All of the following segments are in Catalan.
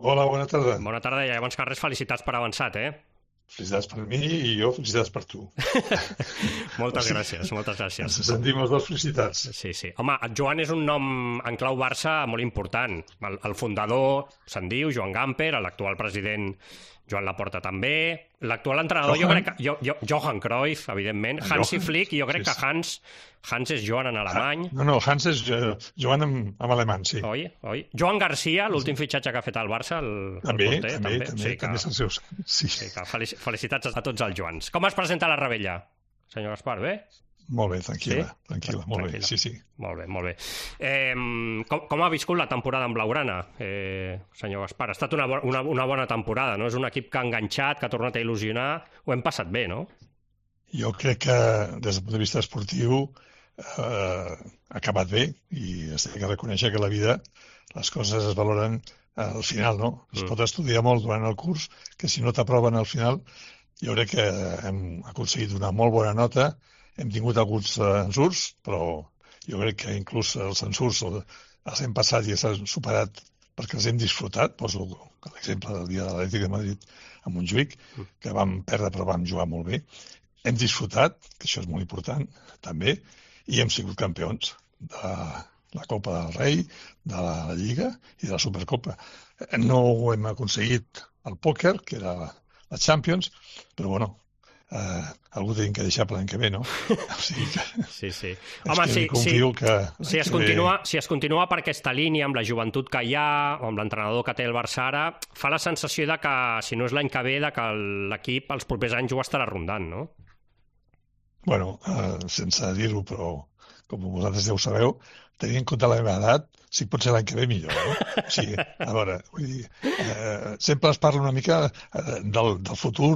Hola, bona tarda. Bona tarda i abans que res, felicitats per avançat, Felicitats per mi i jo felicitats per tu. O Moltes sigui, gràcies, moltes gràcies. ens sentim els dos felicitats. Sí, sí. Home, Joan és un nom en clau Barça molt important. El fundador se'n diu Joan Gamper, l'actual president Joan Laporta també, l'actual entrenador Johan Cruyff, evidentment, Hansi Flick, i jo crec que Hans és Joan en alemany. No, Hans és Joan amb alemany, sí. Oi? Joan Garcia, l'últim fitxatge que ha fet el Barça, També també. és el seu... Sí. Felicitats a tots els Joans. Com es presenta la Rebella, senyor Gaspar, bé? Molt bé, tranquil·la, molt bé, sí. Molt bé. Com ha viscut la temporada amb Blaugrana, senyor Gaspar? Ha estat una bona temporada, no? És un equip que ha enganxat, que ha tornat a il·lusionar. Ho hem passat bé, no? Jo crec que, des del punt de vista esportiu, ha acabat bé i es té que reconèixer que la vida, les coses es valoren al final, no? Es pot estudiar molt durant el curs, que si no t'aproven al final, jo crec que hem aconseguit una molt bona nota. Hem tingut alguns ensurts, però jo crec que inclús els ensurts els hem passat i s'han superat perquè els hem disfrutat. Poso l'exemple del dia de l'Atlètic de Madrid a Montjuïc, que vam perdre però vam jugar molt bé. Hem disfrutat, que això és molt important, també, i hem sigut campions de la Copa del Rei, de la Lliga i de la Supercopa. No ho hem aconseguit al pòquer, que era la Champions, però bueno, algú tenim que deixar per l'any que ve, no? O sigui que... Sí. Home, confio que... Si es continua per aquesta línia, amb la joventut que hi ha, o amb l'entrenador que té el Barça ara, fa la sensació de que, si no és l'any que ve, de que l'equip els propers anys ho estarà rondant, no? Bueno, sense dir-ho, però com vosaltres ja ho sabeu, tenint en compte la meva edat, si pot ser l'any que ve millor, eh? O sigui, a veure, vull dir, sempre es parla una mica del futur,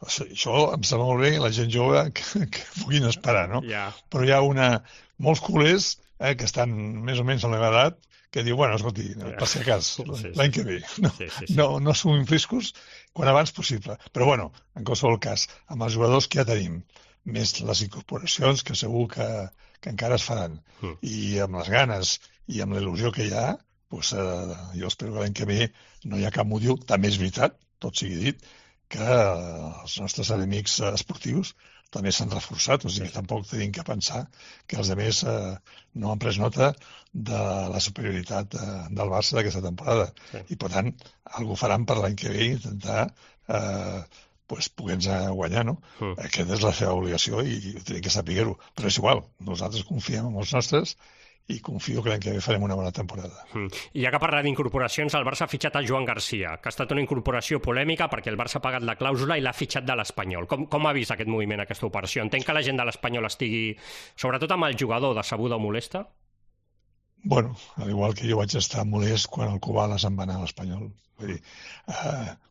Això em sembla molt bé, la gent jove que puguin esperar, no? Yeah. Però hi ha molts culers que estan més o menys a la meva edat que diu, bueno, escolti, per si acas, l'any que ve. No assumim riscos quan abans possible. Però, bueno, en qualsevol cas, amb els jugadors que ja tenim, més les incorporacions que segur que encara es faran, i amb les ganes i amb la il·lusió que hi ha, doncs, jo espero que l'any que ve no hi ha cap motiu. També és veritat, tot sigui dit, que els nostres enemics esportius també s'han reforçat, o sigui que tampoc tenim que pensar que els altres no han pres nota de la superioritat del Barça d'aquesta temporada. I, per tant, alguna cosa faran per l'any que ve intentar poder-nos guanyar, no? Aquesta és la seva obligació i tenim que saber-ho. Però és igual, nosaltres confiem en els nostres i confio que l'any que ve farem una bona temporada. I ja que parla d'incorporacions, el Barça ha fitxat el Joan Garcia, que ha estat una incorporació polèmica perquè el Barça ha pagat la clàusula i l'ha fitxat de l'Espanyol. Com ha vist aquest moviment, aquesta operació? Entenc que la gent de l'Espanyol estigui, sobretot amb el jugador, decebuda o molesta? Bueno, al igual que jo vaig estar molest quan el Kubala se'n va anar a l'Espanyol. Vull dir,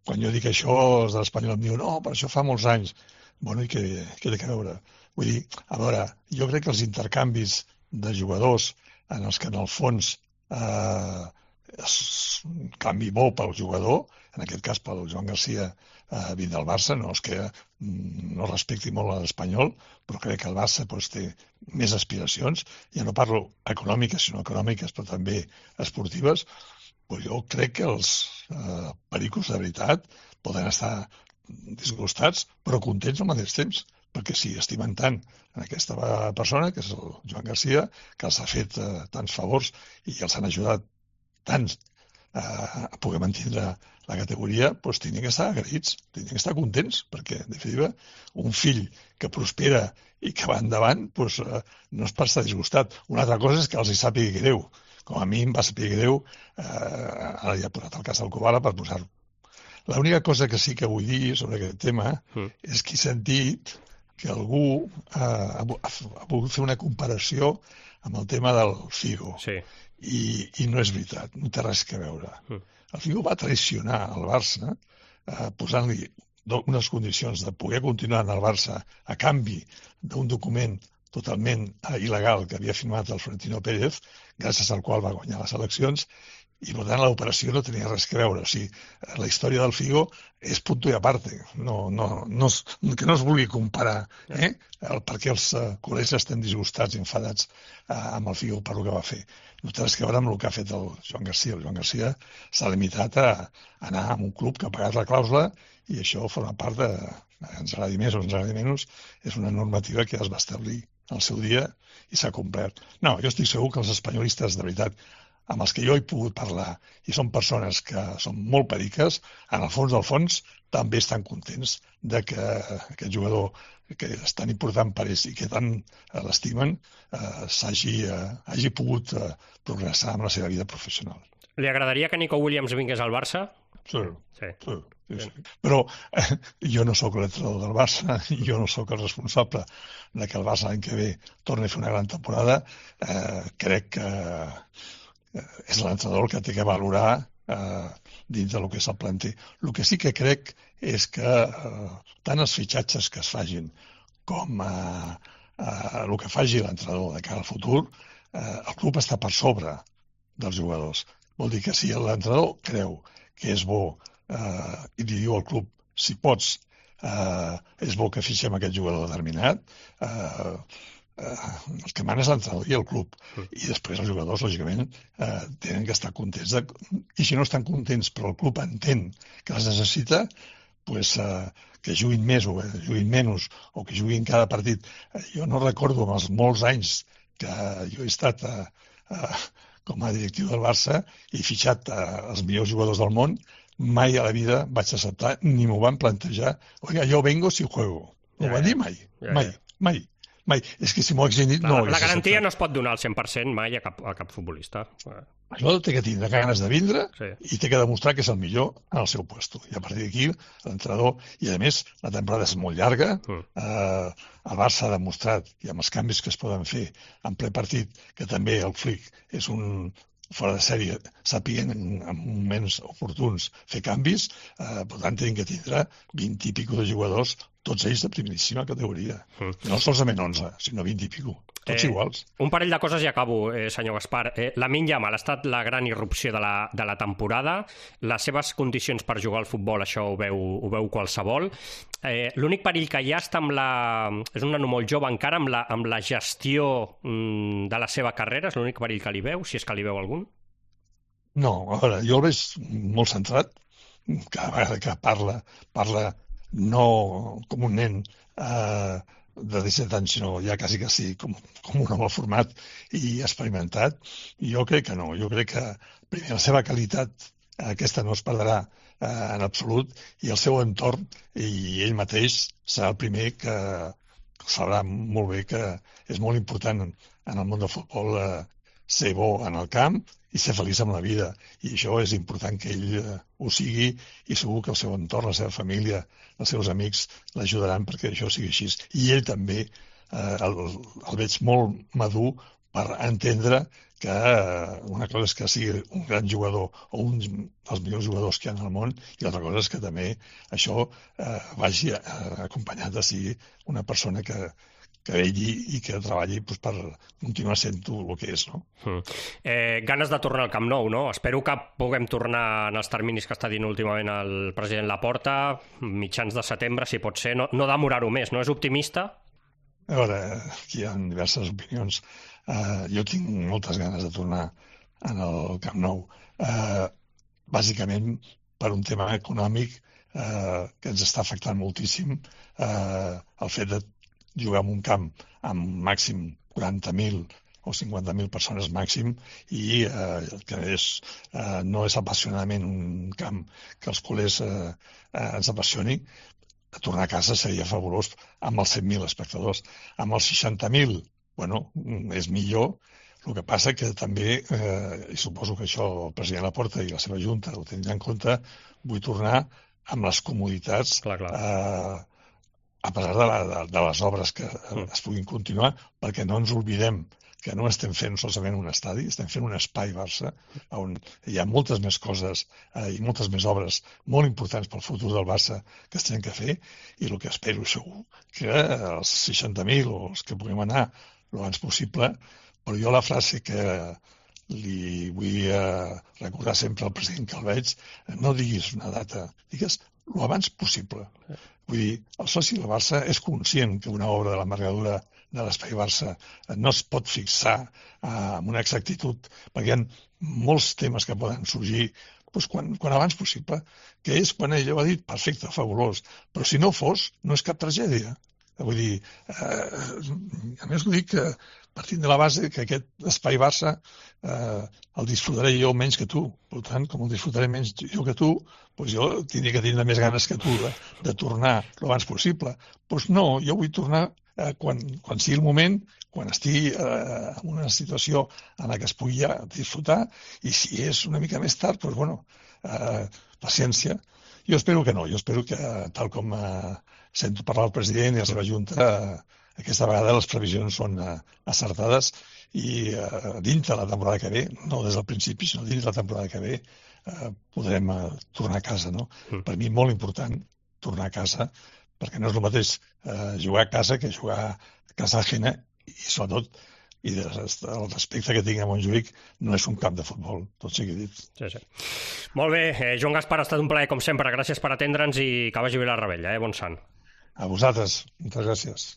quan jo dic això, els de l'Espanyol em diuen no, però això fa molts anys. Bueno, i què té que veure? Vull dir, a veure, jo crec que els intercanvis de jugadors en els que en el fons es canvi molt pel jugador, en aquest cas pel Joan Garcia vint del Barça, no és que no respecti molt l'Espanyol, però crec que el Barça té més aspiracions, ja no parlo econòmiques, sinó econòmiques, però també esportives. Però jo crec que els pericos de veritat poden estar disgustats, però contents al mateix temps, perquè si estimen tant en aquesta persona, que és el Joan Garcia, que els ha fet tants favors i els han ajudat tants a poder mantenir la categoria, doncs tenen que estar agraïts, tenen que estar contents, perquè, en definitiva, un fill que prospera i que va endavant, doncs no és per estar disgustat. Una altra cosa és que els hi sàpiga greu. Com a mi em va saber greu, ara ja he posat el cas del Kubala per posar-ho. L'única cosa que sí que vull dir sobre aquest tema és que he sentit que algú ha volgut fer una comparació amb el tema del Figo. Sí. I no és veritat, no té res a veure. El Figo va traicionar el Barça posant-li unes condicions de poder continuar en el Barça a canvi d'un document totalment il·legal que havia firmat el Florentino Pérez, gràcies al qual va guanyar les eleccions, i per tant l'operació no tenia res a veure. O sigui, la història del Figo és punto i aparte, que no es vulgui comparar per què els col·legs estan disgustats i enfadats amb el Figo per el que va fer. No té res a veure amb el que ha fet el Joan Garcia. El Joan Garcia s'ha limitat a anar a un club que ha pagat la clàusula i això forma part de, ens agradi més o ens agradi menys, és una normativa que es va establir al seu dia i s'ha complert. No, jo estic segur que els espanyolistes, de veritat, amb els que jo he pogut parlar, i són persones que són molt periques, en el fons del fons també estan contents de que aquest jugador que és tan important per ells i que tant l'estimen hagi pogut progressar amb la seva vida professional. Li agradaria que Nico Williams vingués al Barça? Sí. Però jo no sóc l'entrenador del Barça, jo no sóc el responsable de que el Barça l'any que ve torni a fer una gran temporada. Crec que és l'entrenador el que té que valorar dins del que és el planter. El que sí que crec és que tant els fitxatges que es fagin com el que faci l'entrenador de cara al futur, el club està per sobre dels jugadors. Vol dir que si l'entrenador creu que és bo i li diu al club, si pots, és bo que fixem aquest jugador determinat, el que mana és l'entrenador i el club. I després els jugadors, lògicament, tenen que estar contents. I si no estan contents, però el club entén que les necessita, pues, que juguin més o que juguin menys o que juguin cada partit. Jo no recordo en els molts anys que jo he estat com a directiu del Barça i fitxat els millors jugadors del món, mai a la vida vaig acceptar ni m'ho van plantejar. Oiga, jo vengo si juego. No ho van dir mai. Mai. És que si m'ho haguessin dit... La garantia no es pot donar al 100% mai a cap futbolista. Això té que tindre ganes de vindre i té que demostrar que és el millor en el seu puesto. I a partir d'aquí, l'entrenador... I a més, la temporada és molt llarga. El Barça ha demostrat, i amb els canvis que es poden fer en ple partit, que també el Flick és un fora de sèrie, sàpiguen en moments oportuns fer canvis, per tant, tenen que tindre 20 i pico de jugadors, tots ells de primeríssima categoria. No solament 11, sinó 20 i pico. Tots iguals. Un parell de coses i acabo, senyor Gaspar. Lamine Yamal ha estat la gran irrupció de la temporada. Les seves condicions per jugar al futbol, això ho veu qualsevol. L'únic perill que hi ha està és un nano molt jove encara, amb la gestió de la seva carrera. És l'únic perill que li veu, si és que li veu algun? No, a veure, jo el veig molt centrat. Cada vegada que parla no com un nen de 17 anys, sinó ja quasi que sí, com un home format i experimentat. I jo crec que no. Jo crec que, primer, la seva qualitat aquesta no es perdrà en absolut, i el seu entorn i ell mateix serà el primer que sabrà molt bé que és molt important en el món del futbol ser bo en el camp i ser feliç amb la vida. I això és important que ell ho sigui, i segur que el seu entorn, la seva família, els seus amics l'ajudaran perquè això sigui així. I ell també el veig molt madur per entendre que una cosa és que sigui un gran jugador o un dels millors jugadors que hi ha en el món, i l'altra cosa és que també això vagi acompanyat de ser una persona que velli i que treballi per continuar sent el que és, no? Ganes de tornar al Camp Nou, no? Espero que puguem tornar en els terminis que està dient últimament el president Laporta, mitjans de setembre, si pot ser, no demorar-ho més, no? És optimista? A veure, aquí hi ha diverses opinions. Jo tinc moltes ganes de tornar al Camp Nou, bàsicament per un tema econòmic que ens està afectant moltíssim, el fet de jugar en un camp amb màxim 40.000 o 50.000 persones màxim, i que no és apassionadament un camp que els culers ens apassioni. Tornar a casa seria fabulós amb els 100.000 espectadors. Amb els 60.000, bueno, és millor. El que passa que també, i suposo que això el president Laporta i la seva junta ho tindran en compte, vull tornar amb les comoditats, a pesar de les obres que es puguin continuar, perquè no ens oblidem que no estem fent solament un estadi, estem fent un espai Barça, on hi ha moltes més coses i moltes més obres molt importants pel futur del Barça que es tenen que fer, i el que espero segur que els 60.000 o els que puguem anar el abans possible. Però jo la frase que li vull recordar sempre al president que el veig, no diguis una data, digues el abans possible. Vull dir, el soci del Barça és conscient que una obra de l'envergadura de l'Espai Barça no es pot fixar amb una exactitud, perquè hi ha molts temes que poden sorgir doncs quan abans possible, que és quan ell ho ha dit, perfecte, fabulós, però si no fos, no és cap tragèdia. Vull dir, a més ho dic partint de la base que aquest espai Barça el disfrutaré jo menys que tu. Per tant, com el disfrutaré menys jo que tu, doncs jo tindré que tindre més ganes que tu de tornar l'abans possible. Doncs no, jo vull tornar quan sigui el moment, quan estigui en una situació en la que es pugui ja disfrutar, i si és una mica més tard, doncs bueno, paciència. Jo espero que no, jo espero que, tal com sento parlar el president i la seva junta, aquesta vegada les previsions són acertades i dintre de la temporada que ve, no des del principi, sinó dintre de la temporada que ve, podrem tornar a casa, no? Per mi molt important tornar a casa, perquè no és el mateix jugar a casa que jugar a casa ajena, i sobretot, i el respecte que tinc a Montjuïc, no és un camp de futbol, tot sigui dit. Sí, sí. Molt bé, Joan Gaspar, ha estat un plaer com sempre, gràcies per atendre'ns i que vagi bé la rebella, bon sant. A vosaltres, moltes gràcies.